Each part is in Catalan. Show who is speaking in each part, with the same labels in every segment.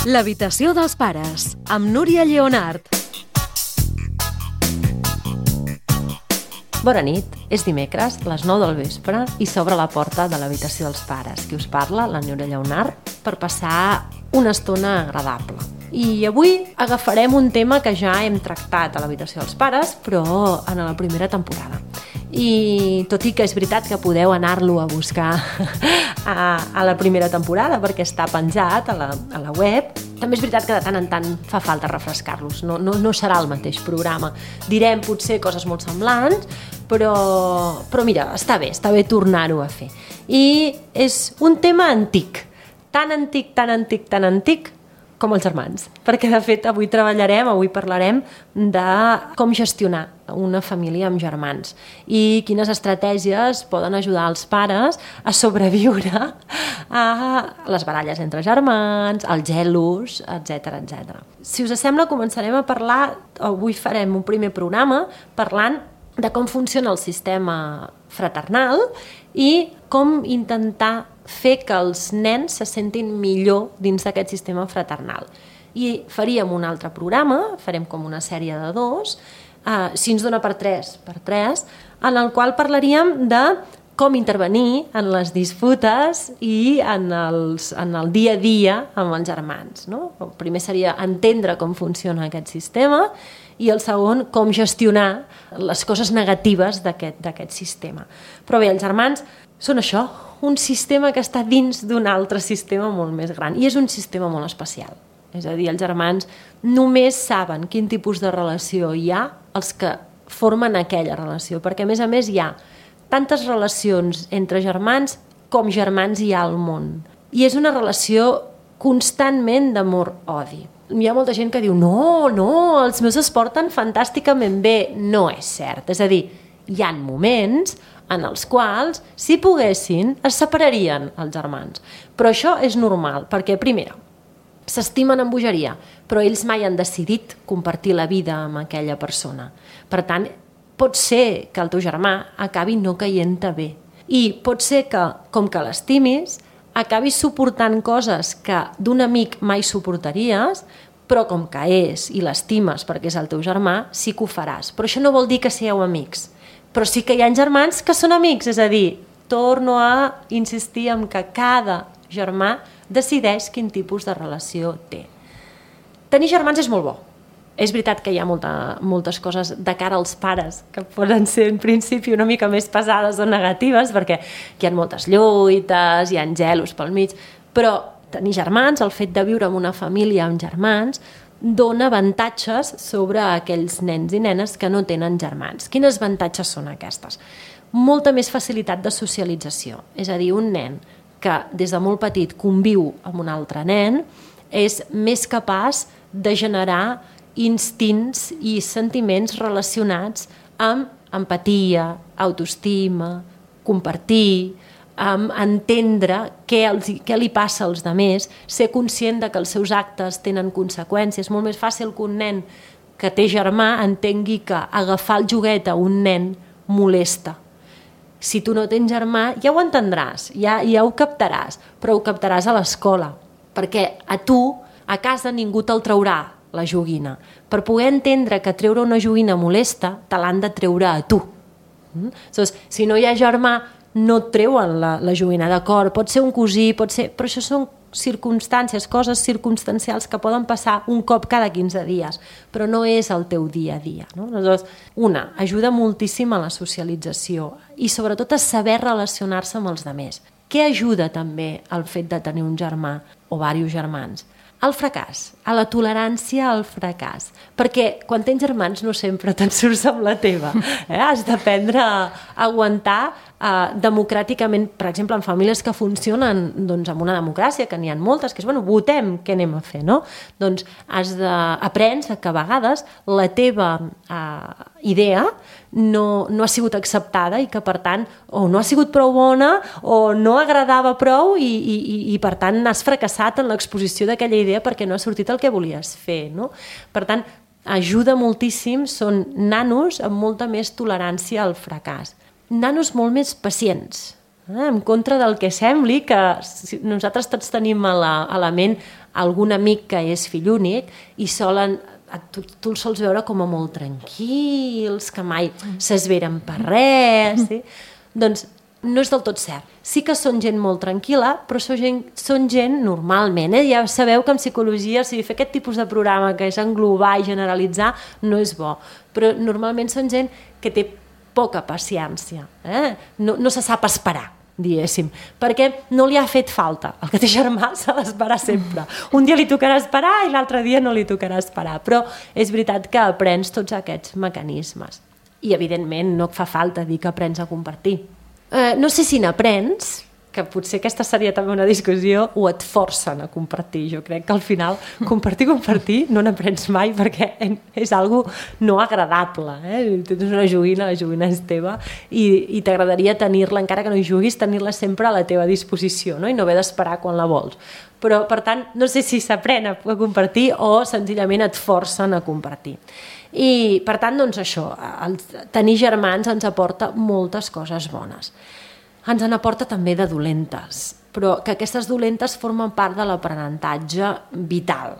Speaker 1: L'habitació dels pares, amb Núria Lleonart.
Speaker 2: Bona nit, és dimecres, les 9 del vespre, i s'obre la porta de l'habitació dels pares. Qui us parla, la Núria Lleonart, per passar una estona agradable. I avui agafarem un tema que ja hem tractat a l'habitació dels pares, però en la primera temporada. I tot i que és veritat que podeu anar-lo a buscar a la primera temporada perquè està penjat a la web, també és veritat que de tant en tant fa falta refrescar-los, no serà el mateix programa. Direm potser coses molt semblants, però mira, està bé tornar-ho a fer. I és un tema antic, tan antic com els germans, perquè de fet avui parlarem de com gestionar una família amb germans i quines estratègies poden ajudar els pares a sobreviure a les baralles entre germans, als gelos, etc. Si us sembla, començarem a parlar, avui farem un primer programa parlant de com funciona el sistema fraternal i com intentar fer que els nens se sentin millor dins d'aquest sistema fraternal. I faríem un altre programa, farem com una sèrie de 2, si ens dona per 3, en el qual parlaríem de com intervenir en les disputes i en el dia a dia amb els germans. No? El primer seria entendre com funciona aquest sistema i el segon, com gestionar les coses negatives d'aquest sistema. Però bé, els germans són això, un sistema que està dins d'un altre sistema molt més gran i és un sistema molt especial. És a dir, els germans només saben quin tipus de relació hi ha els que formen aquella relació, perquè a més hi ha tantes relacions entre germans com germans hi ha al món. I és una relació constantment d'amor-odi. Hi ha molta gent que diu no, els meus es porten fantàsticament bé. No és cert. És a dir, hi ha moments en els quals, si poguessin, es separarien els germans. Però això és normal, perquè, primera, s'estimen amb bogeria, però ells mai han decidit compartir la vida amb aquella persona. Per tant, pot ser que el teu germà acabi no caient-te bé. I pot ser que, com que l'estimis, acabis suportant coses que d'un amic mai suportaries, però com que és i l'estimes perquè és el teu germà, sí que ho faràs. Però això no vol dir que sigueu amics. Però sí que hi ha germans que són amics, és a dir, torno a insistir en que cada germà decideix quin tipus de relació té. Tenir germans és molt bo. És veritat que hi ha moltes coses de cara als pares que poden ser en principi una mica més pesades o negatives perquè hi ha moltes lluites, hi ha gelos pel mig, però tenir germans, el fet de viure en una família amb germans, dona avantatges sobre aquells nens i nenes que no tenen germans. Quines avantatges són aquestes? Molta més facilitat de socialització. És a dir, un nen que des de molt petit conviu amb un altre nen és més capaç de generar instints i sentiments relacionats amb empatia, autoestima, compartir, entendre què li passa als altres, ser conscient de que els seus actes tenen conseqüències. És molt més fàcil que un nen que té germà entengui que agafar el joguet a un nen molesta. Si tu no tens germà, ja ho entendràs, ja ho captaràs, però ho captaràs a l'escola, perquè a tu, a casa, ningú te'l traurà la joguina. Per poder entendre que treure una joguina molesta, te l'han de treure a tu. Si no hi ha germà, no et treuen la joguina, d'acord, pot ser un cosí, però això són circumstàncies, coses circumstancials que poden passar un cop cada 15 dies, però no és el teu dia a dia. No? Aleshores, ajuda moltíssim a la socialització i sobretot a saber relacionar-se amb els altres. Què ajuda també el fet de tenir un germà o diversos germans? El fracàs, a la tolerància al fracàs, perquè quan tens germans no sempre te'n surts amb la teva. Has d'aprendre a aguantar democràticament, per exemple, en famílies que funcionen amb una democràcia, que n'hi ha moltes, que és, votem què anem a fer, no? Doncs aprens que a vegades la teva idea no ha sigut acceptada i que, per tant, o no ha sigut prou bona o no agradava prou i per tant, has fracassat en l'exposició d'aquella idea perquè no ha sortit el que volies fer, no? Per tant, ajuda moltíssim, són nanos amb molta més tolerància al fracàs. Nanos molt més pacients, en contra del que sembli, que nosaltres tots tenim a la ment algun amic que és fill únic i tu els sols veure com a molt tranquils, que mai s'esveren per res, sí? Doncs no és del tot cert. Sí que són gent molt tranquil·la, però són gent normalment. Ja sabeu que en psicologia, si fer aquest tipus de programa que és englobar i generalitzar, no és bo. Però normalment són gent que té poca paciència. No se sap esperar, diguéssim, perquè no li ha fet falta. El que té germà s'ha d'esperar sempre. Un dia li tocarà esperar i l'altre dia no li tocarà esperar. Però és veritat que aprens tots aquests mecanismes. I, evidentment, no et fa falta dir que aprens a compartir. No sé si n'aprens, que potser aquesta seria també una discussió, o et forcen a compartir. Jo crec que al final compartir no n'aprens mai perquè és algo no agradable. Tens una joguina, la joguina és teva i t'agradaria tenir-la, encara que no hi juguis, tenir-la sempre a la teva disposició, no? I no haver d'esperar quan la vols. Però, per tant, no sé si s'aprèn a compartir o senzillament et forcen a compartir. I, per tant, doncs això, tenir germans ens aporta moltes coses bones. Ens en aporta també de dolentes, però que aquestes dolentes formen part de l'aprenentatge vital.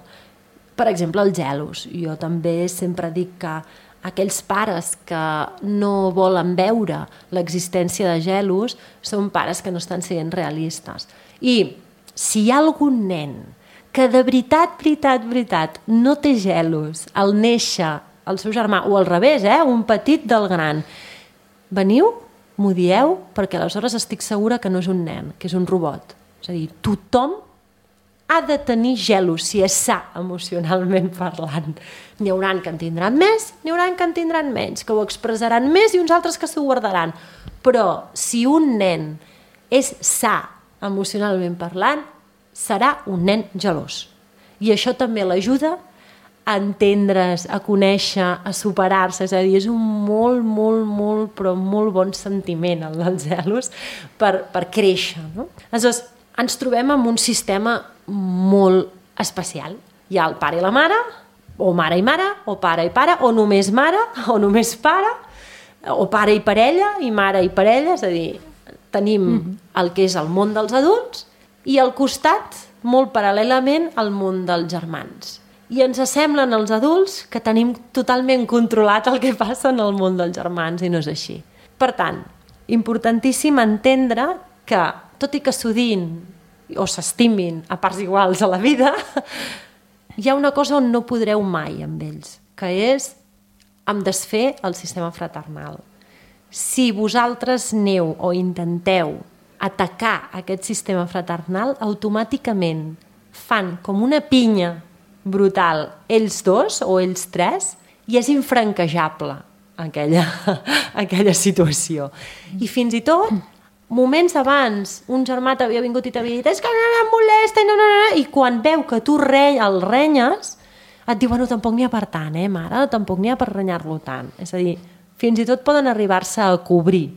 Speaker 2: Per exemple, els gelos. Jo també sempre dic que aquells pares que no volen veure l'existència de gelos són pares que no estan sent realistes. I si hi ha algun nen que de veritat, no té gelos al néixer el seu germà, o al revés, un petit del gran, veniu, m'ho dieu, perquè aleshores estic segura que no és un nen, que és un robot. És a dir, tothom ha de tenir gelos, si és sa emocionalment parlant. N'hi haurà que en tindran més, n'hi haurà que en tindran menys, que ho expressaran més i uns altres que s'ho guardaran. Però si un nen és sa emocionalment parlant, serà un nen gelós. I això també l'ajuda a entendre's, a conèixer, a superar-se, és a dir, és un molt, però molt bon sentiment el dels gelos per créixer, no? Aleshores, ens trobem amb un sistema molt especial. Hi ha el pare i la mare, o mare i mare, o pare i pare, o només mare, o només pare, o pare i parella, i mare i parella, és a dir, tenim el que és el món dels adults i al costat, molt paral·lelament, el món dels germans. I ens semblen els adults que tenim totalment controlat el que passa en el món dels germans i no és així. Per tant, importantíssim entendre que, tot i que s'odin o s'estimin a parts iguals a la vida, hi ha una cosa on no podreu mai amb ells, que és em desfer el sistema fraternal. Si vosaltres aneu o intenteu atacar aquest sistema fraternal, automàticament fan com una pinya brutal ells dos o ells tres i és infranquejable aquella situació. I fins i tot, moments abans, un germà t'havia vingut i t'havia dit és que no em molesta, i quan veu que tu el renyes, et diu, bueno, tampoc n'hi ha per tant, mare, tampoc n'hi ha per renyar-lo tant. És a dir, fins i tot poden arribar-se a cobrir.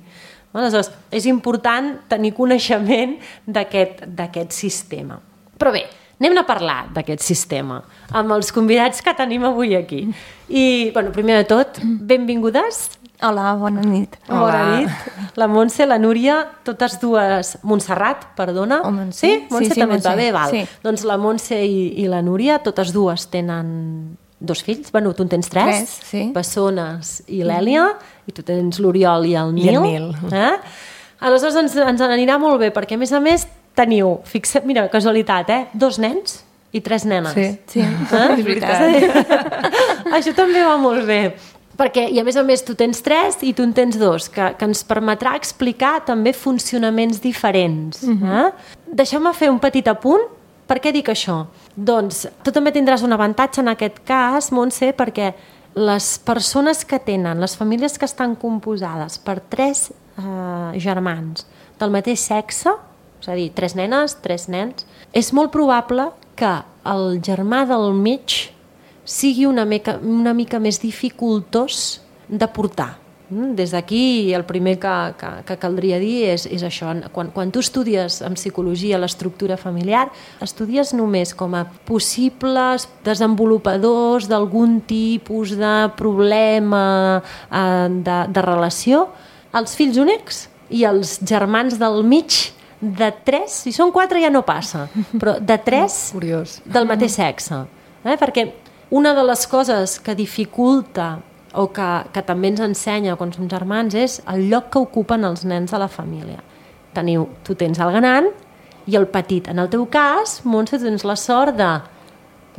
Speaker 2: Aleshores, és important tenir coneixement d'aquest sistema. Però bé, anem a parlar d'aquest sistema amb els convidats que tenim avui aquí. I, bueno, primer de tot, benvingudes.
Speaker 3: Hola, bona nit.
Speaker 2: Bona nit. La Montse, la Núria, totes dues... Montserrat, perdona.
Speaker 3: O Montse.
Speaker 2: Sí? Montse
Speaker 3: sí,
Speaker 2: també
Speaker 3: Montse.
Speaker 2: va bé, val.
Speaker 3: Sí.
Speaker 2: Doncs la Montse i la Núria, totes dues tenen 2 fills. Bueno, tu en tens 3.
Speaker 3: 3, sí.
Speaker 2: Bessones i l'Èlia. I tu tens l'Oriol i el Nil.
Speaker 3: I el Nil.
Speaker 2: Aleshores ens anirà molt bé, perquè a més teniu, fixa't, mira, casualitat, 2 nens i 3 nenes.
Speaker 3: Sí, és veritat.
Speaker 2: Això també va molt bé. Perquè, i a més tu tens 3 i tu en tens 2, que ens permetrà explicar també funcionaments diferents. Deixeu-me fer un petit apunt. Per què dic això? Doncs tu també tindràs un avantatge en aquest cas, Montse, perquè les persones que tenen, les famílies que estan composades per 3 germans del mateix sexe, és a dir, 3 nenes, 3 nens, és molt probable que el germà del mig sigui una mica més dificultós de portar. Des d'aquí el primer que caldria dir és això. Quan tu estudies en psicologia l'estructura familiar, estudies només com a possibles desenvolupadors d'algun tipus de problema de relació els fills únics i els germans del mig de 3, si són 4 ja no passa, però de 3
Speaker 4: Curiós.
Speaker 2: del mateix sexe. Perquè una de les coses que dificulta o que també ens ensenya quan som germans és el lloc que ocupen els nens de la família. Tu tens el gran i el petit. En el teu cas, Montse, tens la sort de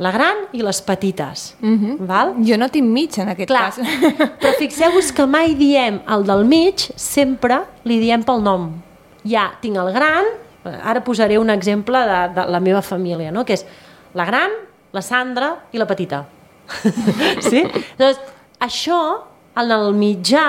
Speaker 2: la gran i les petites. Val?
Speaker 3: Jo no tinc mig en aquest
Speaker 2: Clar,
Speaker 3: cas.
Speaker 2: però fixeu-vos que mai diem el del mig, sempre li diem pel nom. Ja tinc el gran, ara posaré un exemple de la meva família, no? Que és la gran, la Sandra i la petita. Sí? Llavors, això, en el mitjà,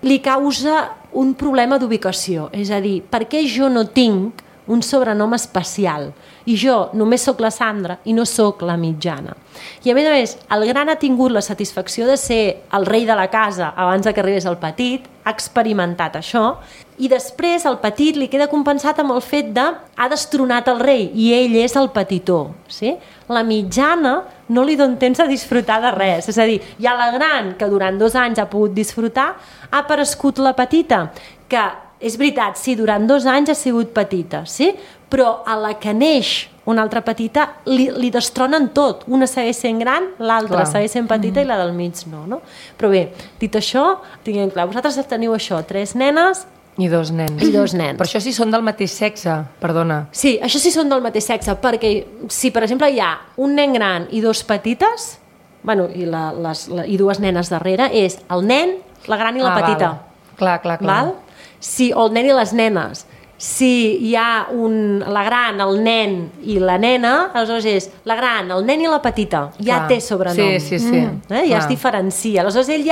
Speaker 2: li causa un problema d'ubicació. És a dir, per què jo no tinc un sobrenom especial i jo només sóc la Sandra i no sóc la mitjana? I a més, el gran ha tingut la satisfacció de ser el rei de la casa abans que arribés el petit, ha experimentat això, i després el petit li queda compensat amb el fet de ha destronat el rei i ell és el petitó. Sí? La mitjana no li dona temps a disfrutar de res, és a dir, hi ha la gran que durant 2 anys ha pogut disfrutar, ha aparegut la petita, que és veritat, sí, durant 2 anys ha sigut petita, sí? Però a la que neix una altra petita li destronen tot. Una segueix sent gran, l'altra segueix sent petita i la del mig no? Però bé, dit això, tinguem clar, vosaltres teniu això, 3 nenes
Speaker 4: i 2 nens.
Speaker 2: I 2 nens.
Speaker 4: Per això sí són del mateix sexe, perdona.
Speaker 2: Sí, això sí són del mateix sexe, perquè si per exemple hi ha un nen gran i 2 petites, bueno, i 2 nenes darrere, és el nen, la gran i la petita.
Speaker 4: Val. Clar.
Speaker 2: Val? Si, o el nen i les nenes. Si hi ha la gran, el nen i la nena, aleshores és la gran, el nen i la petita. Ja té sobrenom.
Speaker 4: Sí.
Speaker 2: Ja es diferencia. Aleshores ell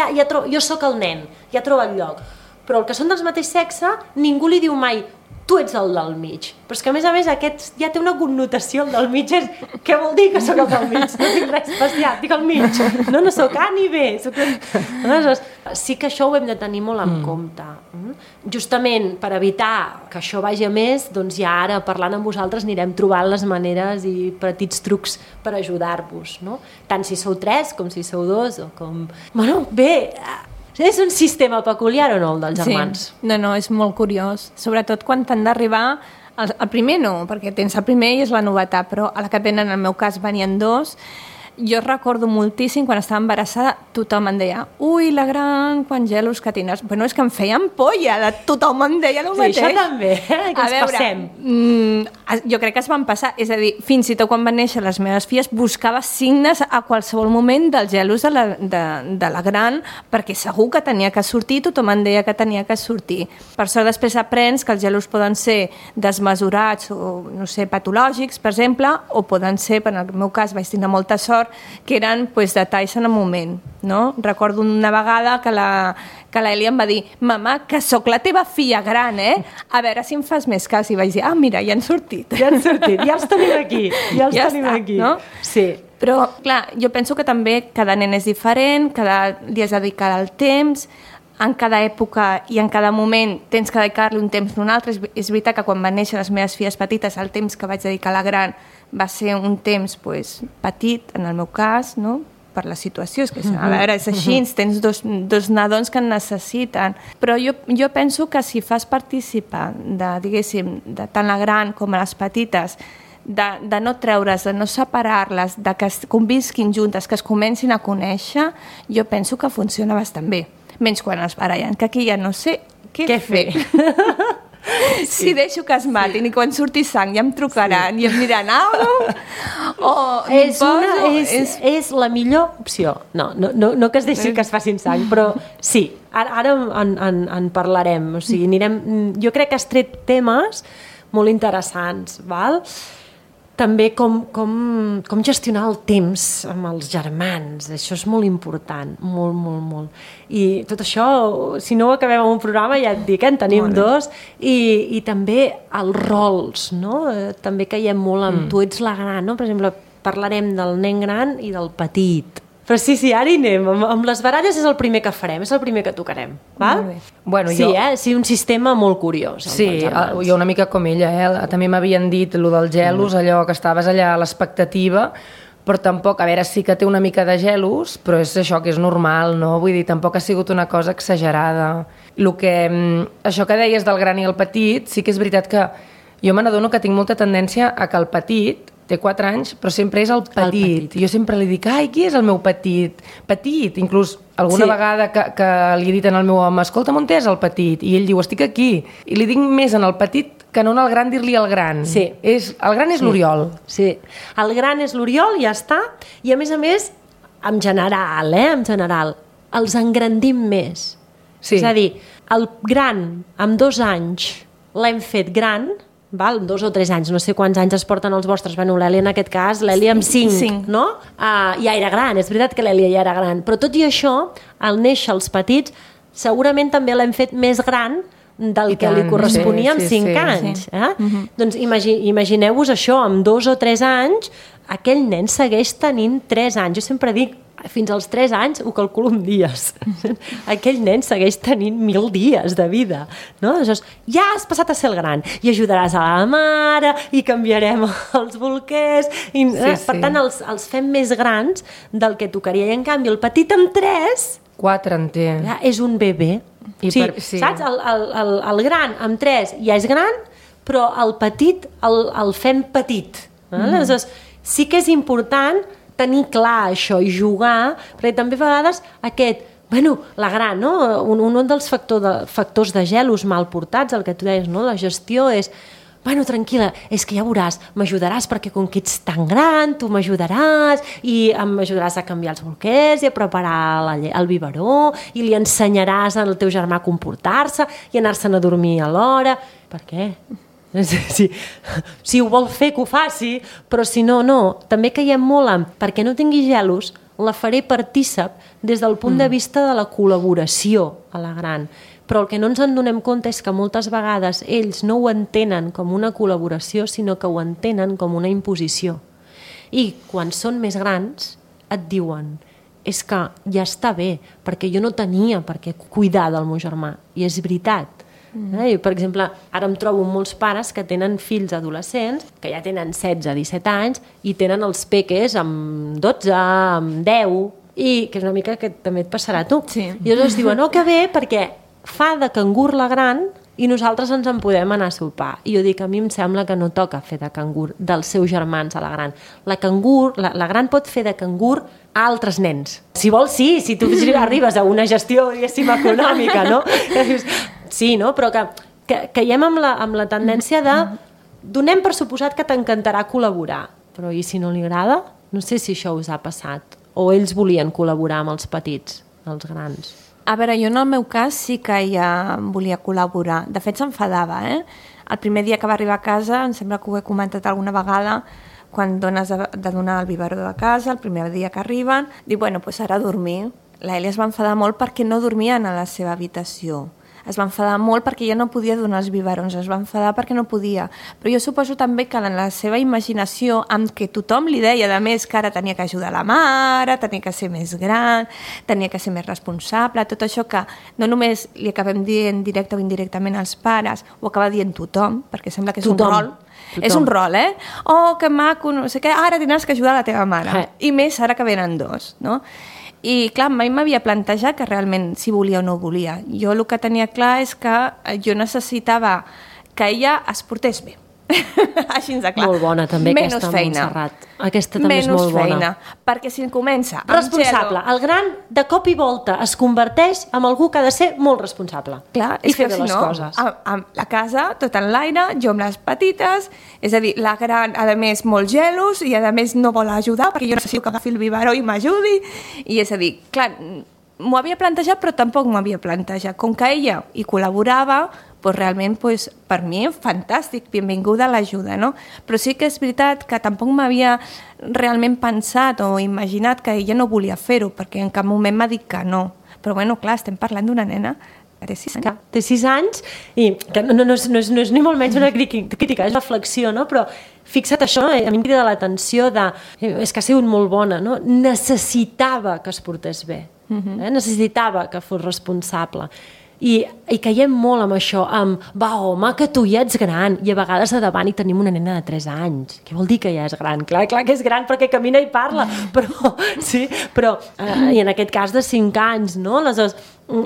Speaker 2: jo sóc el nen, ja troba el lloc. Però el que són del mateix sexe, ningú li diu mai tu ets el del mig. Però és que a més aquest ja té una connotació, el del mig és què vol dir que sóc el del mig? No tinc res especial, dic el mig. No sóc A ni B. Aleshores, sí que això ho hem de tenir molt en compte. Justament per evitar que això vagi a més, doncs ja ara parlant amb vosaltres anirem trobant les maneres i petits trucs per ajudar-vos, no? Tant si sou 3 com si sou 2 o com... Bueno, bé... És un sistema peculiar o no, el dels germans?
Speaker 3: Sí. No, és molt curiós. Sobretot quan t'han d'arribar... El primer no, perquè tens el primer i és la novetat, però a la que tenen, en el meu cas, venien 2. Jo recordo moltíssim, quan estava embarassada, tothom em deia ui, la gran, quan gelos que tindràs. Bueno, és que em feia ampolla, tothom em deia el mateix.
Speaker 2: Sí, això també, que ens passem.
Speaker 3: Jo crec que es van passar, és a dir, fins i tot quan van néixer les meves filles, buscava signes a qualsevol moment dels gelos de la gran, perquè segur que tenia que sortir, tothom em deia que tenia que sortir. Per sort després aprens que els gelos poden ser desmesurats o, no sé, patològics, per exemple, o poden ser, en el meu cas vaig tenir molta sort, que eren detalls en el moment, no? Recordo una vegada que la Eli em va dir mama, que sóc la teva filla gran, a veure si em fas més cas, i vaig dir, mira, ja han sortit, ja els
Speaker 2: tenim aquí, ja tenim aquí,
Speaker 3: no?
Speaker 2: Sí.
Speaker 3: Però, clar, jo penso que també cada nen és diferent, cada dia has de dedicar el temps, en cada època i en cada moment tens que dedicar-li un temps d'un altre. És veritat que quan van néixer les meves filles petites, el temps que vaig dedicar a la gran va ser un temps petit, en el meu cas, no? Per la situació, és que a veure, és així, tens dos nadons que en necessiten. Però jo penso que si fas participar de tant la gran com a les petites, de no treure's, de no separar-les, de que convisquin juntes, que es comencin a conèixer, jo penso que funciona bastant bé. Menys quan es barallen, que aquí ja no sé què fer. Si deixo que es matin i quan surti sang ja em trucaran i em diran
Speaker 2: és la millor opció. No que es deixi que es facin sang, però sí, ara en parlarem. O sigui, jo crec que has tret temes molt interessants, val? També com gestionar el temps amb els germans, això és molt important, molt. I tot això, si no ho acabem en un programa, ja et dic, en tenim 2, i també els rols, no? També caiem molt amb tu ets la gran, no? Per exemple, parlarem del nen gran i del petit. Però sí, ara hi anem. Amb les baralles és el primer que farem, és el primer que tocarem. Val?
Speaker 4: Bueno,
Speaker 2: sí, un sistema molt curiós.
Speaker 4: Sí, jo una mica com ella. També m'havien dit allò dels gelos, allò que estaves allà a l'expectativa, però tampoc, a veure, sí que té una mica de gelos, però és això que és normal, no? Vull dir, tampoc ha sigut una cosa exagerada. Això que deies del gran i el petit, sí que és veritat que jo me n'adono que tinc molta tendència a que el petit té 4 anys, però sempre és el petit. Jo sempre li dic, ai, qui és el meu petit? Petit, inclús alguna vegada que li he dit al meu home, escolta'm, on és el petit? I ell diu, estic aquí. I li dic més en el petit que no en el gran dir-li el gran.
Speaker 2: Sí.
Speaker 4: El gran és l'Oriol.
Speaker 2: Sí, el gran és l'Oriol, ja està. I a més, en general, els engrandim més.
Speaker 4: Sí.
Speaker 2: És a dir, el gran, amb 2 anys, l'hem fet gran, val? 2 o 3 anys, no sé quants anys es porten els vostres. Bueno, l'Èlia en aquest cas, l'Èlia amb 5, no? Ja era gran, és veritat que l'Èlia ja era gran. Però tot i això, al néixer els petits, segurament també l'hem fet més gran del que li corresponia amb 5 anys. Doncs imagineu-vos això, amb 2 o 3 anys, aquell nen segueix tenint 3 anys. Jo sempre dic, fins als 3 anys ho calculo en dies. Aquell nen segueix tenint 1000 dies de vida. No? Aleshores, ja has passat a ser el gran i ajudaràs a la mare i canviarem els bolquers. Per tant, els fem més grans del que tocaria. I en canvi, el petit amb 3...
Speaker 4: 4 en té.
Speaker 2: És un bebè. Saps? El gran amb 3 ja és gran, però el petit el fem petit. Aleshores, sí que és important tenir clar això i jugar, perquè també a vegades la gran, no? Un dels factors de gelos mal portats, el que tu deies, no? La gestió és, tranquil·la, és que ja veuràs, m'ajudaràs perquè com que ets tan gran, tu m'ajudaràs i m'ajudaràs a canviar els bolquers i a preparar el biberó i li ensenyaràs al teu germà a comportar-se i anar-se'n a dormir a l'hora. Per què? Si ho vol fer, que ho faci, però si no, no. També caiem molt en, perquè no tingui gelos, la faré partícip des del punt de vista de la col·laboració a la gran. Però el que no ens en donem compte és que moltes vegades ells no ho entenen com una col·laboració, sinó que ho entenen com una imposició. I quan són més grans et diuen, és que ja està bé, perquè jo no tenia per què cuidar del meu germà. I és veritat. Per exemple, ara em trobo molts pares que tenen fills adolescents que ja tenen 16-17 anys i tenen els peques amb 12, amb 10, i que és una mica que també et passarà a tu.
Speaker 3: Sí.
Speaker 2: I llavors diuen, que bé, perquè fa de cangur la gran i nosaltres ens en podem anar a sopar. I jo dic, a mi em sembla que no toca fer de cangur dels seus germans a la gran. La gran pot fer de cangur a altres nens. Si vols, sí, si tu arribes a una gestió, diguéssim, econòmica, no? Sí, no? Però que caiem amb la tendència de donem per suposat que t'encantarà col·laborar, però i si no li agrada? No sé si això us ha passat. O ells volien col·laborar amb els petits, els grans.
Speaker 3: A veure, jo en el meu cas sí que ja volia col·laborar. De fet, s'enfadava, El primer dia que va arribar a casa, em sembla que ho he comentat alguna vegada, quan dones de donar el biberó de casa, el primer dia que arriben, diu, doncs ara a dormir. L'Èlia es va enfadar molt perquè no dormien a la seva habitació. Es va enfadar molt perquè ja no podia donar els biberons, es va enfadar perquè no podia. Però jo suposo també que en la seva imaginació, amb què tothom li deia, a més, que ara tenia que ajudar la mare, tenia que ser més gran, tenia que ser més responsable, tot això que no només li acabem dient directe o indirectament als pares, ho acaba dient tothom, perquè sembla que és un rol. És un rol, Oh, que maco, no sé què, ara tindràs que ajudar la teva mare. I més ara que venen 2, no? I clar, mai m'havia plantejat que realment si volia o no volia. Jo el que tenia clar és que jo necessitava que ella es portés bé. Així de clar.
Speaker 2: Molt bona també aquesta, Montserrat. Aquesta també és molt bona. Menys feina,
Speaker 3: perquè si comença
Speaker 2: responsable. El gran, de cop i volta, es converteix en algú que ha de ser molt responsable.
Speaker 3: Clar,
Speaker 2: i fer bé les coses.
Speaker 3: A la casa, tot en l'aire, jo amb les petites, és a dir, la gran, a més, molt gelos, i a més no vol ajudar, perquè jo necessito que agafi el biberó i m'ajudi, i és a dir, clar, m'ho havia plantejat, però tampoc m'ho havia plantejat. Com que ella hi col·laborava, doncs realment per mi fantàstic, benvinguda a l'ajuda, no? Però sí que és veritat que tampoc m'havia realment pensat o imaginat que ella no volia fer-ho, perquè en cap moment m'ha dit que no. Però bueno, clar, estem parlant d'una nena que té 6 anys.
Speaker 2: Té 6 anys i que no és ni molt menys una crítica, és reflexió, no? Però fixa't això, a mi em crida l'atenció és que ha sigut molt bona, no? Necessitava que es portés bé, necessitava que fos responsable. I caiem molt amb això, amb va home, que tu ja ets gran, i a vegades a davant hi tenim una nena de 3 anys. Què vol dir que ja és gran? Clar que és gran perquè camina i parla, però i en aquest cas de 5 anys, no? Aleshores,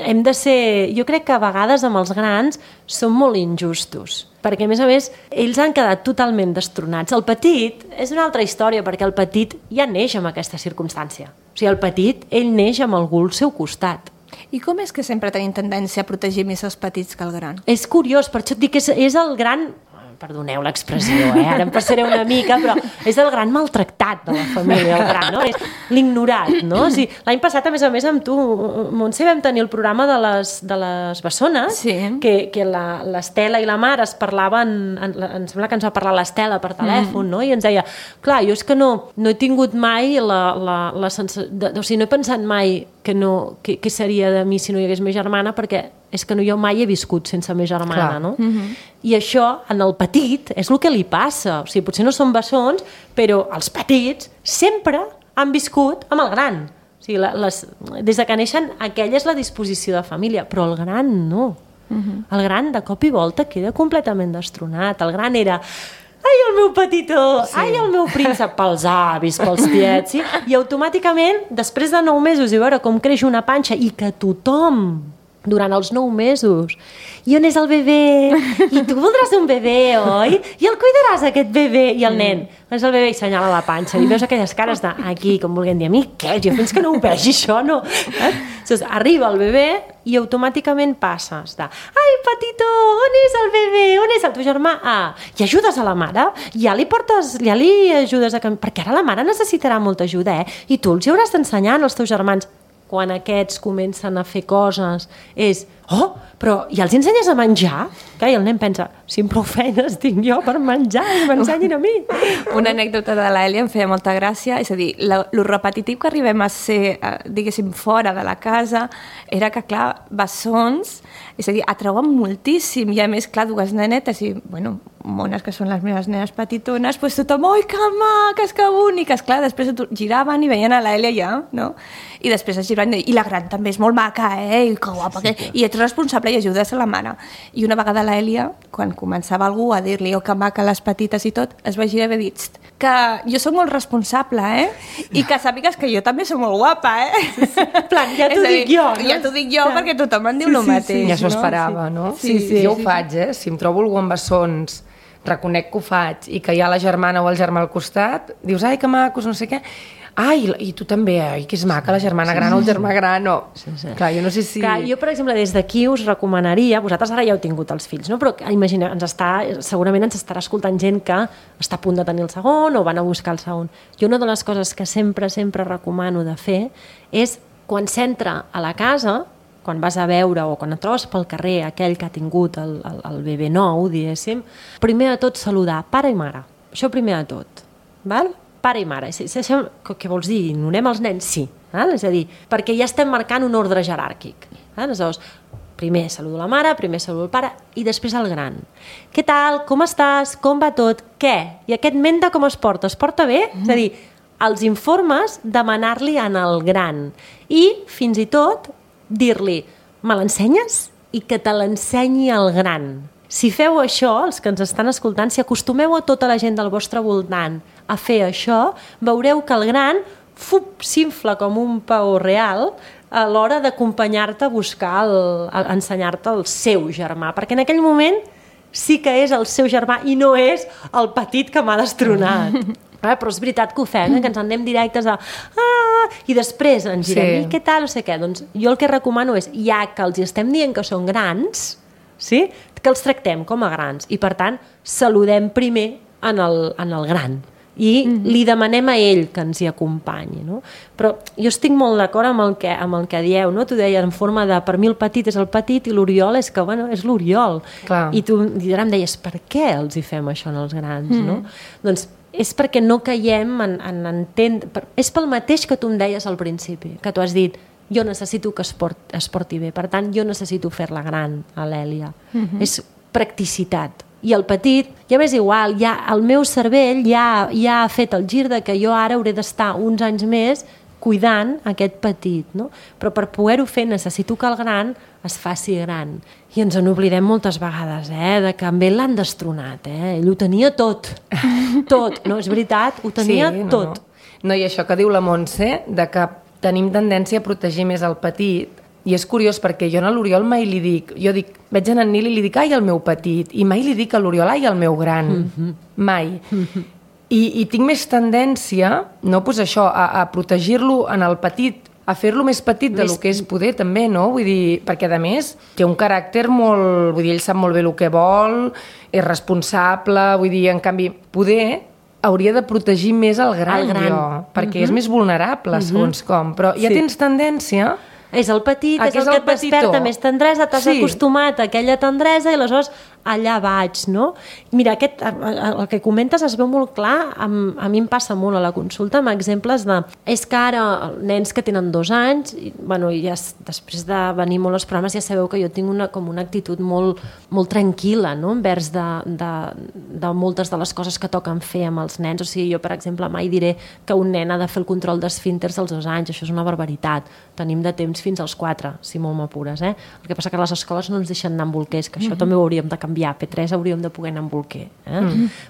Speaker 2: hem de ser... Jo crec que a vegades amb els grans som molt injustos, perquè a més, ells han quedat totalment destronats. El petit és una altra història, perquè el petit ja neix amb aquesta circumstància. O sigui, el petit, ell neix amb algú al seu costat.
Speaker 3: I com és que sempre tenim tendència a protegir més els petits que el gran?
Speaker 2: És curiós, per això et dic que és el gran... Perdoneu l'expressió, ara em passaré una mica, però és el gran maltractat de la família, el gran, no? És l'ignorat, no? O sigui, l'any passat, a més, amb tu, Montse, vam tenir el programa de les bessones,
Speaker 3: sí.
Speaker 2: que l'Estela i la Mar es parlaven, em sembla que ens va parlar l'Estela per telèfon, no? I ens deia, clar, jo és que no he tingut mai la sensació... O sigui, no he pensat mai què seria de mi si no hi hagués meva germana, perquè és que jo mai he viscut sense meva germana, no? I això, en el petit, és el que li passa. O sigui, potser no són bessons, però els petits sempre han viscut amb el gran. O sigui, des de que neixen, aquella és la disposició de família, però el gran no. El gran, de cop i volta, queda completament destronat. El gran era... Ai, el meu petitó! Sí. Ai, el meu príncep! Pels avis, pels tiets, sí? I automàticament, després de 9 mesos, i veure com creix una panxa i que tothom, durant els 9 mesos, i on és el bebè? I tu voldràs un bebè, oi? I el cuidaràs, aquest bebè? I el nen, on és el bebè? I senyala la panxa. I veus aquelles cares d'aquí, com volguem dir, a mi què? Jo fins que no ho vegi això, no? Doncs arriba el bebè i automàticament passes de ai, petitó, on és el bebè? On és el teu germà? I ajudes a la mare? Ja li ajudes a caminar? Perquè ara la mare necessitarà molta ajuda, I tu els hi hauràs d'ensenyar als teus germans. Quan aquests comencen a fer coses, és, però ja els ensenyes a menjar? I el nen pensa, si prou feines tinc jo per menjar i m'ensenyin a mi.
Speaker 3: Una anècdota de l'Èlia em feia molta gràcia, és a dir, lo repetitiu que arribem a ser, diguéssim, fora de la casa, era que, clar, bessons, és a dir, atreuen moltíssim, i a més, clar, 2 nenetes, i, bueno, mones que són les meves nenes petitones, doncs tothom, oi, que maques, que boniques, clar, després giraven i veien a l'Èlia ja, no? I després es giraven i la gran també és molt maca, i que guapa, i ets responsable i ajudes a la mare. I una vegada l'Èlia, quan començava algú a dir-li, que maca les petites i tot, es va girar i va dir, que jo soc molt responsable, i que sàpigues que jo també soc molt guapa,
Speaker 2: Plan, ja t'ho dic jo, no?
Speaker 3: Ja t'ho dic jo perquè tothom em diu el mateix.
Speaker 4: Ja s'ho esperava, no?
Speaker 3: Sí.
Speaker 4: Jo ho faig, si em trobo algú amb bessons, reconec que ho faig, i que hi ha la germana o el germà al costat, dius, ai, que macos, no sé què, ai, i tu també, ai, que és maca la germana gran o el germà gran, no. Clar, jo no sé si...
Speaker 2: Clar, jo, per exemple, des d'aquí us recomanaria, vosaltres ara ja heu tingut els fills, no? Però imagina, segurament ens estarà escoltant gent que està a punt de tenir el segon o van a buscar el segon. Jo una de les coses que sempre recomano de fer és, quan s'entra a la casa, quan vas a veure o quan et trobes pel carrer aquell que ha tingut el bebè nou, diguéssim, primer de tot saludar pare i mare. Això primer de tot. Val? Pare i mare. Què vols dir? Ignorem els nens? Sí. Val? És a dir, perquè ja estem marcant un ordre jeràrquic. Aleshores, primer saludo la mare, primer saludo el pare i després el gran. Què tal? Com estàs? Com va tot? Què? I aquest menta com es porta? Es porta bé? És a dir, els informes, demanar-li en el gran. I, fins i tot, dir-li, me l'ensenyes? I que te l'ensenyi el gran. Si feu això, els que ens estan escoltant, si acostumeu a tota la gent del vostre voltant a fer això, veureu que el gran s'infla com un paó real a l'hora d'acompanyar-te a buscar, a ensenyar-te el seu germà, perquè en aquell moment sí que és el seu germà i no és el petit que m'ha destronat. Però és veritat que ho fem, que ens en anem directes a i després ens girem, i què tal, no sé què. Doncs jo el que recomano és, ja que els estem dient que són grans, sí? Que els tractem com a grans i per tant saludem primer en el gran i li demanem a ell que ens hi acompanyi, no? Però jo estic molt d'acord amb el que dieu, no? Tu deies en forma de, per mi el petit és el petit i l'Oriol és que, bueno, és l'Oriol. I tu ara em deies, per què els hi fem això als grans, no? Doncs és perquè no caiem en entendre... És pel mateix que tu em deies al principi, que tu has dit, jo necessito que es porti bé, per tant, jo necessito fer-la gran, a l'Èlia. És practicitat. I el petit, ja m'és igual, el meu cervell ja ha fet el gir de que jo ara hauré d'estar uns anys més cuidant aquest petit, no? Però per poder-ho fer necessito que el gran es faci gran. I ens en oblidem moltes vegades, de que amb ell l'han destronat, ell ho tenia tot, no, és veritat, ho tenia tot.
Speaker 4: No, i això que diu la Montse, de que tenim tendència a protegir més el petit, i és curiós perquè jo a l'Oriol mai li dic, veig en Nil i li dic, ai, el meu petit, i mai li dic a l'Oriol, ai, el meu gran, mai. I tinc més tendència, no, pues això, a protegir-lo en el petit, a fer-lo més petit del que és poder també, no? Vull dir, perquè a més té un caràcter molt... Vull dir, ell sap molt bé el que vol, és responsable, vull dir, en canvi, poder hauria de protegir més el gran. Jo, perquè és més vulnerable, segons com. Però ja tens tendència...
Speaker 2: És el petit, és el que et desperta més tendresa, t'has acostumat a aquella tendresa i aleshores allà vaig, no? Mira, el que comentes es veu molt clar, a mi em passa molt a la consulta amb exemples de... És que ara nens que tenen 2 anys, i ja després de venir molt als programes ja sabeu que jo tinc una actitud molt tranquil·la, no? Envers de moltes de les coses que toquen fer amb els nens. O sigui, jo, per exemple, mai diré que un nen ha de fer el control d'esfínters als 2 anys, això és una barbaritat. Tenim de temps fins als 4, si molt m'apures. El que passa que a les escoles no ens deixen anar amb bolquers, que això també ho hauríem de canviar. P3 hauríem de poder anar amb bolquer.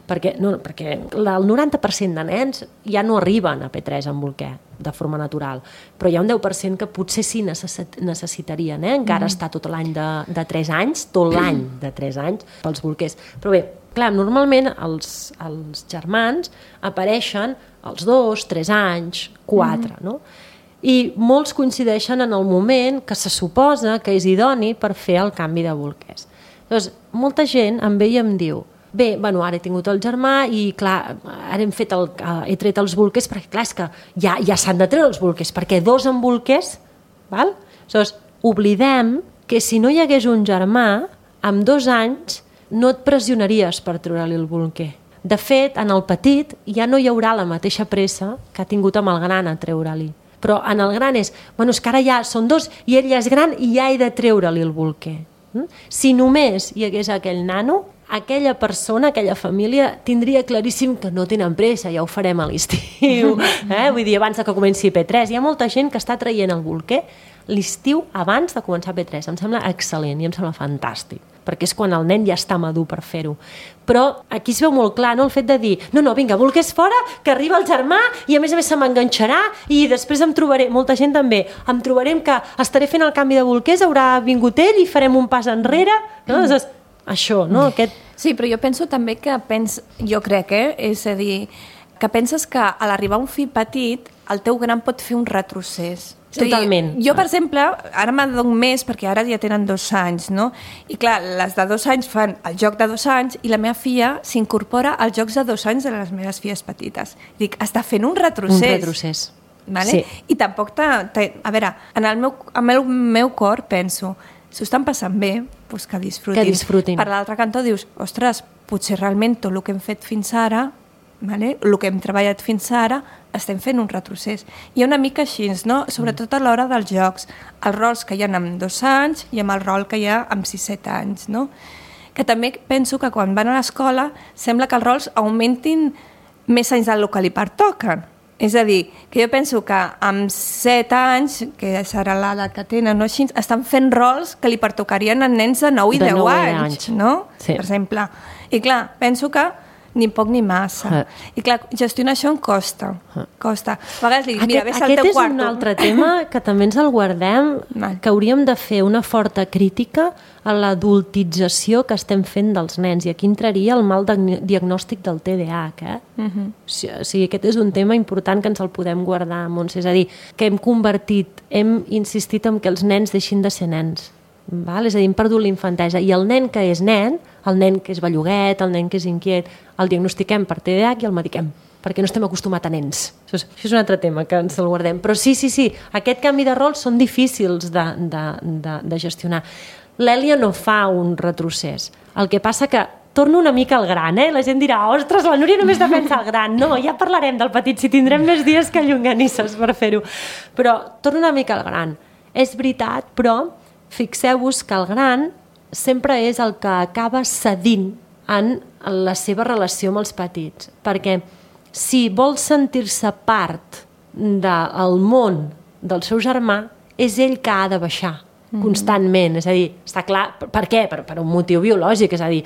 Speaker 2: Perquè el 90% de nens ja no arriben a P3 amb bolquer de forma natural, però hi ha un 10% que potser sí necessitarien, encara està tot l'any de 3 anys, tot l'any de 3 anys pels bolquers. Però bé, clar, normalment els germans apareixen als 2, 3 anys, 4, no? I molts coincideixen en el moment que se suposa que és idoni per fer el canvi de bolquers. Llavors, molta gent em ve i em diu bé, ara he tingut el germà i clar, ara he tret els bolquers perquè clar, és que ja s'han de treure els bolquers, perquè 2 amb bolquers, val? Llavors, oblidem que si no hi hagués un germà, amb 2 anys no et pressionaries per treure-li el bolquer. De fet, en el petit ja no hi haurà la mateixa pressa que ha tingut amb el gran a treure-li. Però en el gran és que ara ja són 2 i ell ja és gran i ja he de treure-li el bolquer. Si només hi hagués aquell nano, aquella persona, aquella família, tindria claríssim que no tenen pressa, ja ho farem a l'estiu. Vull dir, abans que comenci P3. Hi ha molta gent que està traient el bolquer l'estiu abans de començar P3. Em sembla excel·lent i em sembla fantàstic, perquè és quan el nen ja està madur per fer-ho. Però aquí es veu molt clar, no?, el fet de dir no, vinga, bolquers fora, que arriba el germà i a més se m'enganxarà i després em trobaré, molta gent també, em trobarem que estaré fent el canvi de bolquers, haurà vingut ell i farem un pas enrere, no? Això, no?
Speaker 3: Sí, però jo penso també que jo crec, és a dir, que penses que a l'arribar un fill petit el teu gran pot fer un retrocés.
Speaker 2: Totalment.
Speaker 3: Jo, per exemple, ara m'adono més perquè ara ja tenen 2 anys, no? I clar, les de 2 anys fan el joc de 2 anys i la meva filla s'incorpora als jocs de 2 anys de les meves filles petites. Dic, està fent un retrocés.
Speaker 2: Un retrocés.
Speaker 3: Vale?
Speaker 2: Sí.
Speaker 3: I tampoc a veure, en el meu cor penso, si ho estan passant bé, doncs que disfrutin.
Speaker 2: Que disfrutin.
Speaker 3: Per l'altre cantó dius, ostres, potser realment tot el que hem fet fins ara, vale? El que hem treballat fins ara, estem fent un retrocés. I una mica així, no? Sobretot a l'hora dels jocs, els rols que hi ha amb 2 anys i amb el rol que hi ha amb 6-7 anys, no? Que també penso que quan van a l'escola sembla que els rols augmentin més anys del que li pertoquen. És a dir, que jo penso que amb 7 anys, que serà l'edat que tenen, no? Així, estan fent rols que li pertocarien a nens de 9 i 10 anys, no?
Speaker 2: Sí.
Speaker 3: Per exemple. I clar, penso que ni poc ni massa. I clar, gestionar això em costa. Costa. A vegades li dic, mira, ves al teu quarto.
Speaker 2: Aquest és un altre tema que també ens el guardem, que hauríem de fer una forta crítica a l'adultització que estem fent dels nens. I aquí entraria el mal diagnòstic del TDAH. O sigui, aquest és un tema important que ens el podem guardar, Montse. És a dir, que hem insistit en que els nens deixin de ser nens. Val? És a dir, hem perdut la infantesa. I el nen que és nen, el nen que és belluguet, el nen que és inquiet, el diagnostiquem per TDAH i el mediquem, perquè no estem acostumats a nens. Això és un altre tema que ens el guardem. Però sí, aquest canvi de rols són difícils de gestionar. L'Èlia no fa un retrocés. El que passa que torno una mica al gran, La gent dirà, ostres, la Núria només defensa el gran. No, ja parlarem del petit, si tindrem més dies que llonganisses per fer-ho. Però torno una mica al gran. És veritat, però fixeu-vos que el gran sempre és el que acaba cedint en la seva relació amb els petits, perquè si vol sentir-se part del món del seu germà és ell que ha de baixar constantment, és a dir, està clar, per què? Per un motiu biològic, és a dir,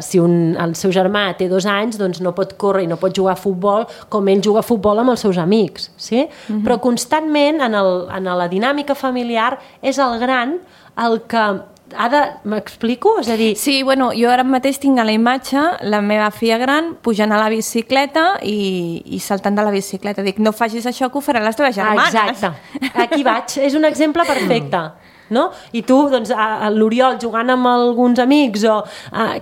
Speaker 2: si el seu germà té 2 anys, doncs no pot córrer i no pot jugar a futbol com ell juga a futbol amb els seus amics, sí? Però constantment en la dinàmica familiar és el gran el que ha de... M'explico? És a dir...
Speaker 3: Sí, bueno, jo ara mateix tinc a la imatge la meva filla gran pujant a la bicicleta i saltant de la bicicleta. Dic, no facis això que ho faran les teves germanes.
Speaker 2: Exacte. Aquí vaig. És un exemple perfecte. No? I tu, doncs, l'Oriol jugant amb alguns amics o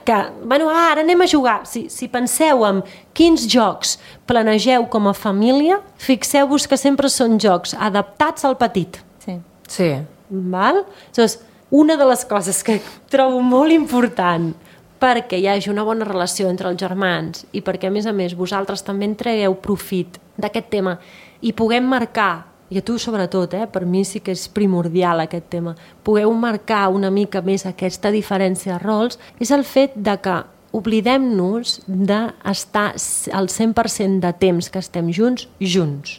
Speaker 2: que, bueno, ara anem a jugar. Si penseu en quins jocs planegeu com a família, fixeu-vos que sempre són jocs adaptats al petit.
Speaker 4: Sí.
Speaker 2: Val? Llavors, una de les coses que trobo molt important perquè hi hagi una bona relació entre els germans i perquè, a més, vosaltres també en tregueu profit d'aquest tema i puguem marcar, i a tu sobretot, per mi sí que és primordial aquest tema, pugueu marcar una mica més aquesta diferència de rols, és el fet de que oblidem-nos d'estar al 100% de temps que estem junts.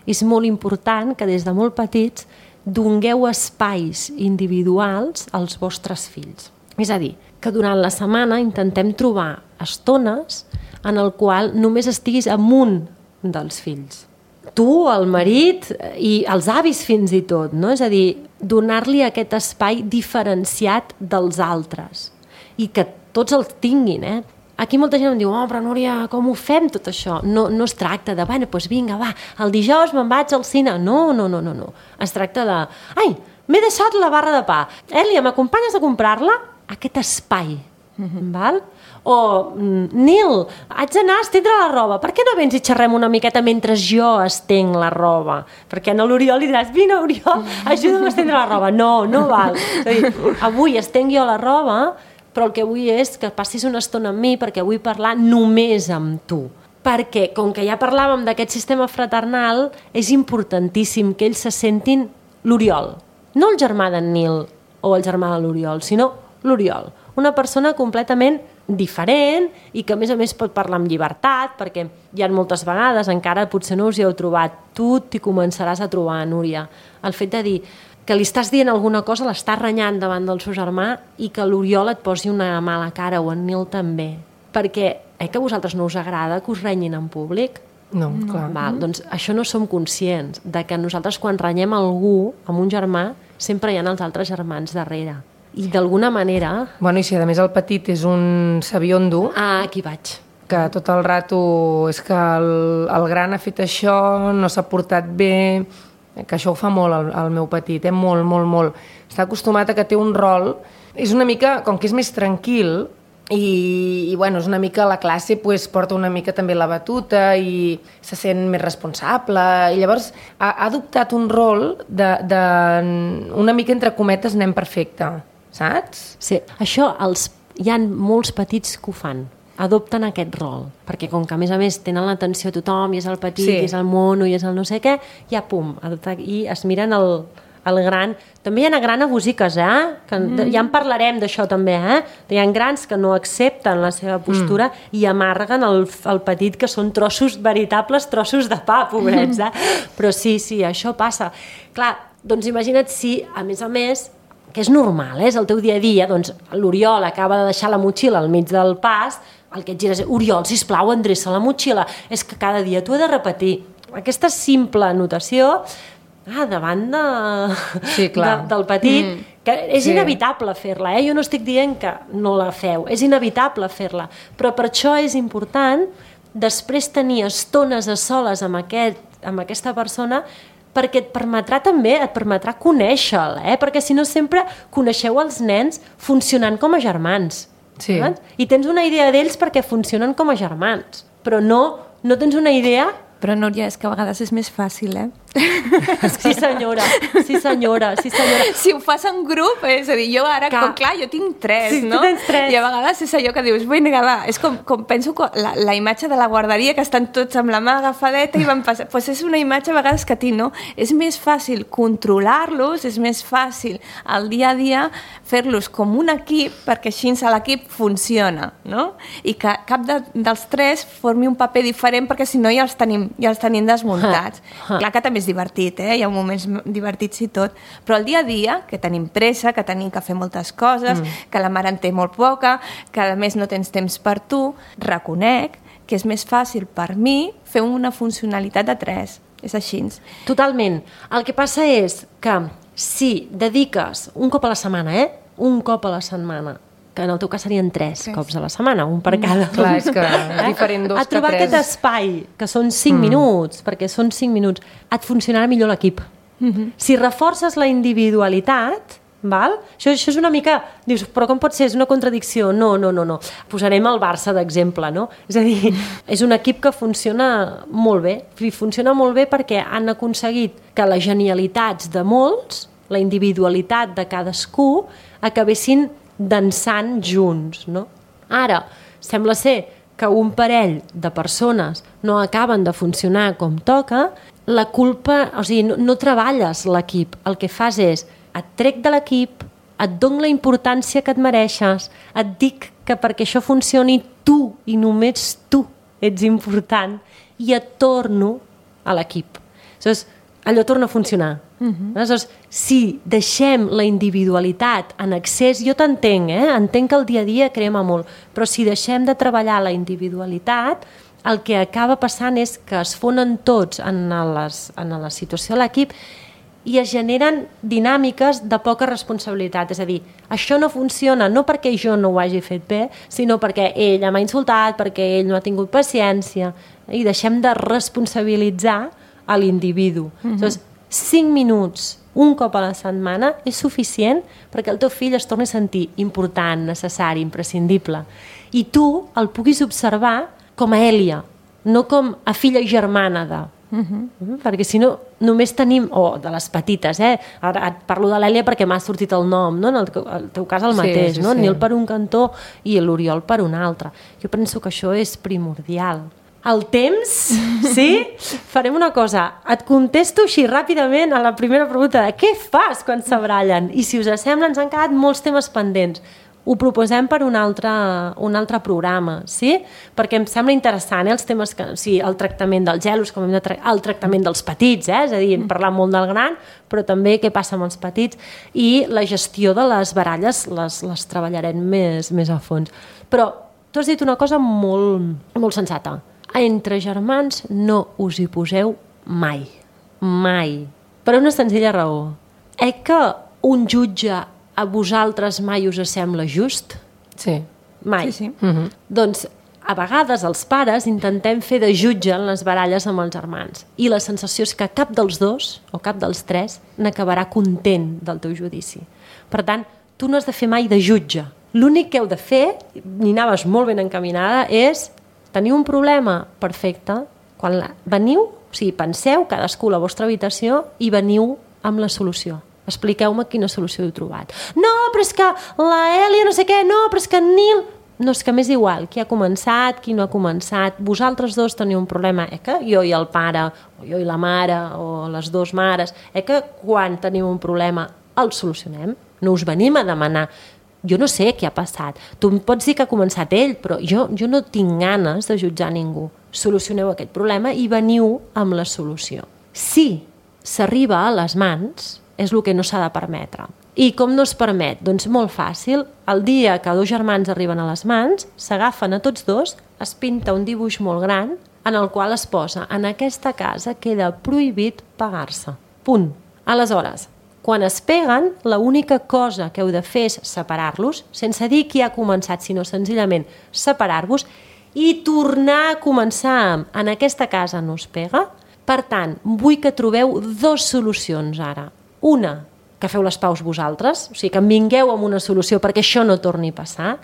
Speaker 2: És molt important que des de molt petits dongueu espais individuals als vostres fills. És a dir, que durant la setmana intentem trobar estones en el qual només estiguis amb un dels fills. Tu, el marit i els avis fins i tot, no? És a dir, donar-li aquest espai diferenciat dels altres i que tots els tinguin, Aquí molta gent em diu, però Núria, com ho fem tot això? No es tracta de, bueno, doncs vinga, va, el dijous me'n vaig al cine. No. Es tracta de, ai, m'he deixat la barra de pa. Èlia, m'acompanyes a comprar-la? Aquest espai, val? O, Nil, haig d'anar a estendre la roba. Per què no vens i xerrem una miqueta mentre jo estenc la roba? Perquè a l'Oriol li diràs, vine, Oriol, ajuda'm a estendre la roba. No val. És a dir, avui estenc jo la roba, però el que vull és que passis una estona amb mi perquè vull parlar només amb tu. Perquè, com que ja parlàvem d'aquest sistema fraternal, és importantíssim que ells se sentin l'Oriol. No el germà d'en Nil o el germà de l'Oriol, sinó l'Oriol. Una persona completament diferent i que, a més, pot parlar amb llibertat, perquè hi ha moltes vegades, encara potser no us hi heu trobat, tu t'hi començaràs a trobar, Núria. El fet de dir que li estàs dient alguna cosa, l'estàs renyant davant del seu germà i que l'Oriol et posi una mala cara o en Nil també. Perquè, que a vosaltres no us agrada que us renyin en públic?
Speaker 4: No, clar.
Speaker 2: Val, doncs això no som conscients de que nosaltres quan renyem algú amb un germà sempre hi ha els altres germans darrere. I d'alguna manera...
Speaker 4: Bueno, i si a més el petit és un sabiondo...
Speaker 2: Aquí vaig.
Speaker 4: Que tot el rato és que el gran ha fet això, no s'ha portat bé, que això ho fa molt el meu petit, molt. Està acostumat a que té un rol, és una mica, com que és més tranquil, i bueno, és una mica la classe, pues, porta una mica també la batuta i se sent més responsable, i llavors ha adoptat un rol de una mica entre cometes nen perfecte, saps?
Speaker 2: Sí, això hi ha molts petits que ho fan, adopten aquest rol, perquè com que a més tenen l'atenció a tothom, i és el petit, i és el mono, i és el no sé què, ja pum, i es miren el gran. També hi ha grans abusiques, que ja en parlarem d'això també, hi ha grans que no accepten la seva postura i amarguen el petit, que són veritables trossos de pa, pobrets, però sí, això passa. Clar, doncs imagina't si, a més, que és normal, és el teu dia a dia, doncs l'Oriol acaba de deixar la motxilla al mig del pas, el que et gires és, Oriol, sisplau, endreça la motxilla, és que cada dia t'ho he de repetir. Aquesta simple anotació davant del petit, que és inevitable fer-la, jo no estic dient que no la feu, és inevitable fer-la, però per això és important després tenir estones a soles amb aquesta persona, perquè et permetrà conèixer-la, perquè si no sempre coneixeu els nens funcionant com a germans.
Speaker 4: Sí.
Speaker 2: I tens una idea d'ells perquè funcionen com a germans, però no tens una idea...
Speaker 3: Però, Núria, és que a vegades és més fàcil,
Speaker 2: Sí senyora, sí senyora, sí senyora.
Speaker 3: Si ho fas en grup, és a dir, jo ara, clar, jo tinc 3,
Speaker 2: sí,
Speaker 3: no?
Speaker 2: Tu tens 3.
Speaker 3: I a vegades és allò que dius, vinga, va, és com penso la imatge de la guarderia, que estan tots amb la mà agafadeta i van passar, doncs és una imatge a vegades que tinc, no? És més fàcil controlar-los, és més fàcil al dia a dia fer-los com un equip, perquè així l'equip funciona, no? I que cap dels 3 formi un paper diferent, perquè si no ja els tenim desmuntats. Clar que també és divertit, hi ha moments divertits i tot, però el dia a dia, que tenim pressa, que tenim que fer moltes coses, que la mare en té molt poca, que a més no tens temps per tu, reconec que és més fàcil per mi fer una funcionalitat de 3. És així.
Speaker 2: Totalment. El que passa és que si dediques un cop a la setmana, un cop a la setmana, que en el teu cas serien 3 cops a la setmana, un per cada.
Speaker 4: Clar, és que diferent 2 que 3.
Speaker 2: A trobar aquest espai, que són 5 minuts, perquè són 5 minuts, et funcionarà millor l'equip. Si reforces la individualitat, val? Això és una mica... Dius, però com pot ser? És una contradicció? No. Posarem el Barça d'exemple, no? És a dir, és un equip que funciona molt bé. Funciona molt bé perquè han aconseguit que les genialitats de molts, la individualitat de cadascú, acabessin dansant junts, no? Ara, sembla ser que un parell de persones no acaben de funcionar com toca, la culpa... O sigui, no treballes l'equip. El que fas és, et trec de l'equip, et dono la importància que et mereixes, et dic que perquè això funcioni tu, i només tu, ets important, i et torno a l'equip. Aleshores, allò torna a funcionar. Aleshores, si deixem la individualitat en excés, jo t'entenc, entenc que el dia a dia crema molt, però si deixem de treballar la individualitat, el que acaba passant és que es fonen tots en la situació de l'equip i es generen dinàmiques de poca responsabilitat. És a dir, això no funciona no perquè jo no ho hagi fet bé, sinó perquè ella m'ha insultat, perquè ell no ha tingut paciència, i deixem de responsabilitzar a l'individu. Aleshores, 5 minuts un cop a la setmana és suficient perquè el teu fill es torni a sentir important, necessari, imprescindible. I tu el puguis observar com a Èlia, no com a filla i germana de... Perquè si no, només tenim... de les petites, Ara et parlo de l'Èlia perquè m'ha sortit el nom, no? En el teu cas el mateix, no? Nil per un cantó i l'Oriol per un altre. Jo penso que això és primordial. El temps, sí? Farem una cosa, et contesto així ràpidament a la primera pregunta de què fas quan s'abrallen? I si us sembla, ens han quedat molts temes pendents. Ho proposem per un altre programa, sí? Perquè em sembla interessant, els temes el tractament dels gelos, el tractament dels petits, és a dir, hem parlat molt del gran, però també què passa amb els petits, i la gestió de les baralles les treballarem més a fons. Però tu has dit una cosa molt, molt sensata. Entre germans no us hi poseu mai. Mai. Per una senzilla raó. Que un jutge a vosaltres mai us sembla just?
Speaker 4: Sí.
Speaker 2: Mai.
Speaker 3: Sí.
Speaker 2: Doncs a vegades els pares intentem fer de jutge en les baralles amb els germans i la sensació és que cap dels dos o cap dels 3 n'acabarà content del teu judici. Per tant, tu no has de fer mai de jutge. L'únic que heu de fer, i anaves molt ben encaminada, és teniu un problema? Perfecte. Quan veniu, o sigui, penseu cadascú a la vostra habitació i veniu amb la solució. Expliqueu-me quina solució heu trobat. No, però és que la Èlia no sé què, no, però és que Nil... No, és que m'és igual, qui ha començat, qui no ha començat. Vosaltres dos teniu un problema, que jo i el pare, o jo i la mare, o les dues mares, que quan teniu un problema el solucionem. No us venim a demanar... Jo no sé què ha passat. Tu em pots dir que ha començat ell, però jo no tinc ganes de jutjar ningú. Solucioneu aquest problema i veniu amb la solució. Si s'arriba a les mans, és el que no s'ha de permetre. I com no es permet? Doncs molt fàcil. El dia que 2 germans arriben a les mans, s'agafen a tots 2, es pinta un dibuix molt gran en el qual es posa en aquesta casa queda prohibit pegar-se. Punt. Aleshores, quan es peguen, l'única cosa que heu de fer és separar-los, sense dir qui ha començat, sinó senzillament separar-vos i tornar a començar. En aquesta casa no es pega. Per tant, vull que trobeu 2 solucions ara. Una, que feu les paus vosaltres, o sigui, que en vingueu amb una solució perquè això no torni a passar.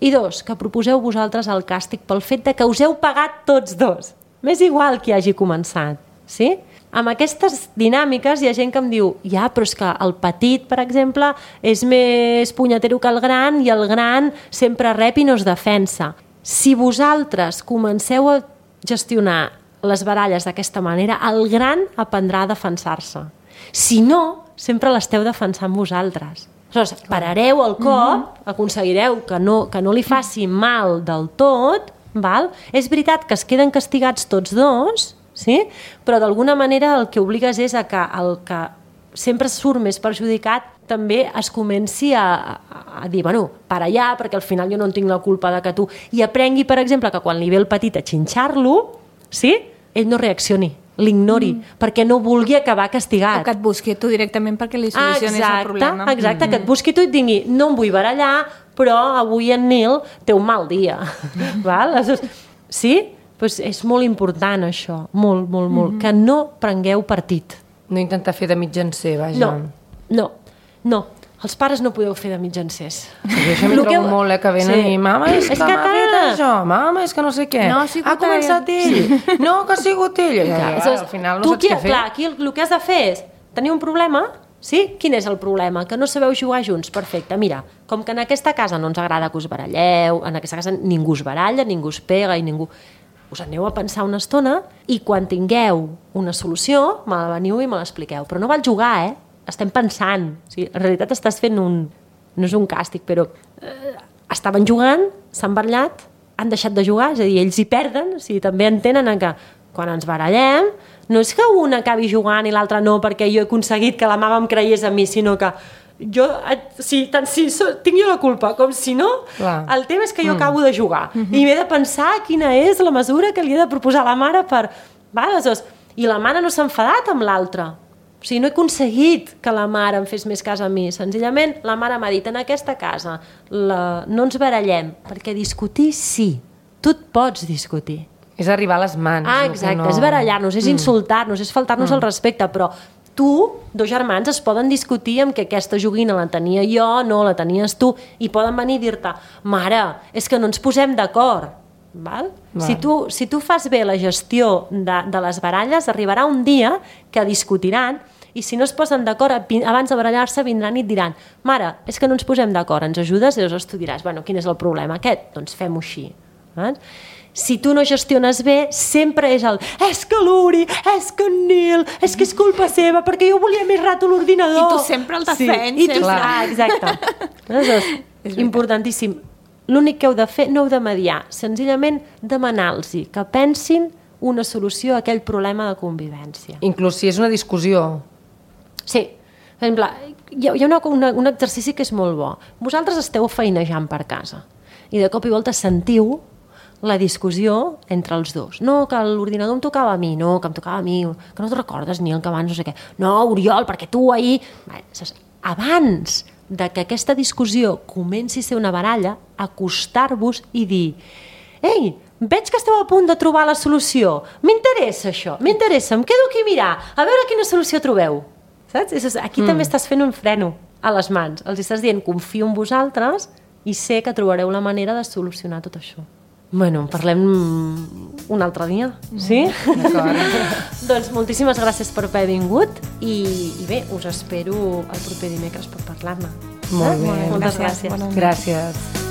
Speaker 2: I 2, que proposeu vosaltres el càstig pel fet de que us heu pagat tots 2. M'és igual qui hagi començat, sí? amb aquestes dinàmiques hi ha gent que em diu ja, però és que el petit, per exemple, és més punyetero que el gran i el gran sempre rep i no es defensa. Si vosaltres comenceu a gestionar les baralles d'aquesta manera, el gran aprendrà a defensar-se. Si no, sempre l'esteu defensant vosaltres. Aleshores, parareu el cop, aconseguireu que no li faci mal del tot, val? És veritat que es queden castigats tots dos, sí? Però d'alguna manera el que obligues és a que el que sempre surt més perjudicat també es comenci a dir, bueno, para allà, perquè al final jo no en tinc la culpa de que tu... I aprengui, per exemple, que quan li ve el petit a xinxar-lo, sí? Ell no reaccioni, l'ignori, perquè no vulgui acabar castigat.
Speaker 3: O que et busqui tu directament perquè li solucionis el problema.
Speaker 2: Exacte, que et busqui tu i et digui, no em vull barallar, però avui en Nil té un mal dia. Val? Sí? Pues és molt important això, molt, molt, molt, que no prengueu partit.
Speaker 4: No intentar fer de mitjancer, vaja.
Speaker 2: No. Els pares no podeu fer de mitjancers.
Speaker 4: Sí, això m'ho trobo molt, que venen i mama, és que m'ha fet això, mama, és que no sé què.
Speaker 3: No,
Speaker 4: ha començat ell. No, que ha sigut ell. Al final no saps què fer.
Speaker 2: Clar, aquí el que has de fer és tenir un problema, sí? Quin és el problema? Que no sabeu jugar junts. Perfecte, mira, com que en aquesta casa no ens agrada que us baralleu, en aquesta casa ningú us baralla, ningú us pega i ningú... Us aneu a pensar una estona i quan tingueu una solució, me la veniu i me l'expliqueu. Però no val jugar, Estem pensant. O sigui, en realitat estàs fent no és un càstig, però estaven jugant, s'han barallat, han deixat de jugar, és a dir, ells hi perden, o sigui, també entenen que quan ens barallem no és que un acabi jugant i l'altre no perquè jo he aconseguit que la mama em creiés a mi, sinó que tant si tinc jo la culpa com si no, el tema és que jo acabo de jugar i m'he de pensar quina és la mesura que li he de proposar a la mare i la mare no s'ha enfadat amb l'altra, o sigui, no he aconseguit que la mare em fes més cas a mi, senzillament la mare m'ha dit en aquesta casa no ens barallem, perquè discutir sí, tu et pots discutir,
Speaker 4: és arribar a les mans.
Speaker 2: Exacte, és barallar-nos, és insultar-nos, és faltar-nos el respecte, però dos germans es poden discutir amb que aquesta joguina la tenia jo, no, la tenies tu, i poden venir i dir-te, mare, és que no ens posem d'acord. Val? Si tu fas bé la gestió de les baralles, arribarà un dia que discutiran i si no es posen d'acord, abans de barallar-se vindran i et diran, mare, és que no ens posem d'acord, ens ajudes? I llavors tu diràs, bueno, quin és el problema aquest? Doncs fem-ho així. Si tu no gestiones bé, sempre és és que l'Uri, és que en Nil, és que és culpa seva, perquè jo volia més rato l'ordinador.
Speaker 3: I tu sempre el defenses.
Speaker 2: Exacte. És importantíssim. L'únic que heu de fer, no heu de mediar, senzillament demanar-los que pensin una solució a aquell problema de convivència.
Speaker 4: Inclús si és una discussió.
Speaker 2: Sí. Per exemple, hi ha un exercici que és molt bo. Vosaltres esteu feinejant per casa i de cop i volta sentiu la discussió entre els dos. No, que l'ordinador em tocava a mi, no, que em tocava a mi, que no te'n recordes, Nil, que abans no sé què. No, Oriol, perquè tu ahir... Abans de que aquesta discussió comenci a ser una baralla, acostar-vos i dir ei, veig que esteu a punt de trobar la solució, m'interessa això, m'interessa, em quedo aquí a mirar, a veure quina solució trobeu. Saps? Aquí també estàs fent un freno a les mans. Els estàs dient, confio en vosaltres i sé que trobareu la manera de solucionar tot això. Bueno, en parlem un altre dia, sí? Doncs moltíssimes gràcies per haver vingut i bé, us espero el proper dimecres per parlar-ne.
Speaker 4: Molt bé.
Speaker 2: Moltes gràcies.
Speaker 4: Gràcies.